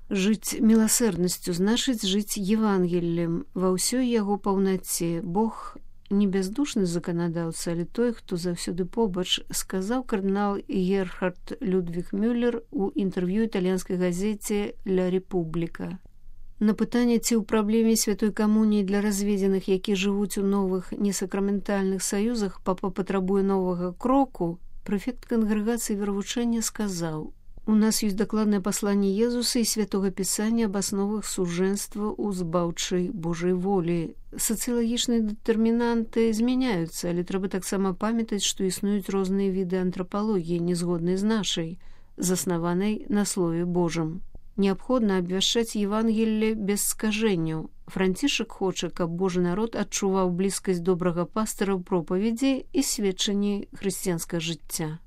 Жыць міласэрнасцю значыць жыць Евангеллем ва ўсёй яго паўнаце. Бог не бяздушны заканадаўца, але той, хто заўсёды побач, сказаў кардынал Герхард Людвіг Мюллер у інтэрв'ю італьянскай газеце «Ля Рэпубліка». На пытанне, ці ў праблеме святой камуніі для разведзеных, які жывуць у новых несакраментальных саюзах, папа патрабуе новага кроку, прэфект кангрэгацыі веравучэння сказаў: «У нас ёсць дакладнае пасланне Езуса і святога пісання аб асновах сужэнства ў збаўчай Божай волі. Сацыялагічныя дэтэрмінанты змяняюцца, але трэба таксама памятаць, што існуюць розныя віды антрапалогіі, незгоднай з нашай, заснаванай на Слове Божым. Неабходна абвяшчаць Евангелле без скажэнняў. Францішак хоча, каб Божы народ адчуваў блізкасць добрага пастыра ў пропаведзі і сведчанні хрысціянскага жыцця».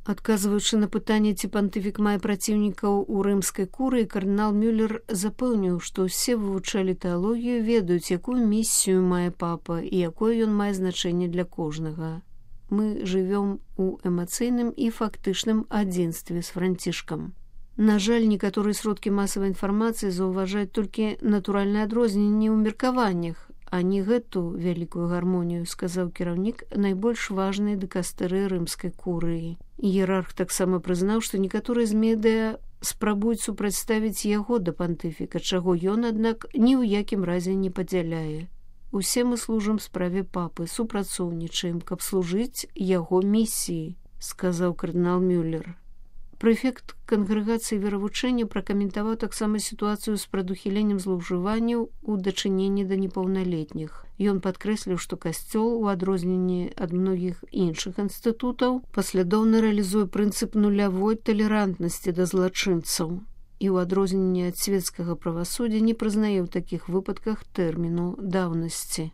Адказваючы на пытанне, ці пантыфік мае праціўнікаў у рымскай курыі, кардынал Мюллер запэўніў, што ўсе вывучалі тэалогію, ведаюць, якую місію мае папа і якое ён мае значэнне для кожнага. Мы жывём у эмацыйным і фактычным адзінстве з францішкам. На жаль, некаторыя сродкі масавай інфармацыі заўважаюць толькі натуральнае адрозненне ў меркаваннях, а не гэту вялікую гармонію, сказаў кіраўнік найбольш важнай дыкастэрыі рымскай курыі. Іерарх таксама прызнаў, што некаторыя з медыа спрабуюць супрацьставіць яго да пантыфіка, чаго ён, аднак, ні ў якім разе не падзяляе. «Усе мы служым справе папы, супрацоўнічаем, каб служыць яго місіі», сказаў кардынал Мюллер. Прэфект кангрэгацыі веравучэння пракаментаваў таксама сітуацыю з прадухіленнем злоўжыванняў у дачыненні да непаўналетніх. Ён падкрэсліў, што касцёл, у адрозненні ад многіх іншых інстытутаў, паслядоўна рэалізуе прынцып нулявой талерантнасці да злачынцаў і ў адрозненні ад свецкага правасуддзя не прызнае ў такіх выпадках тэрміну даўнасці.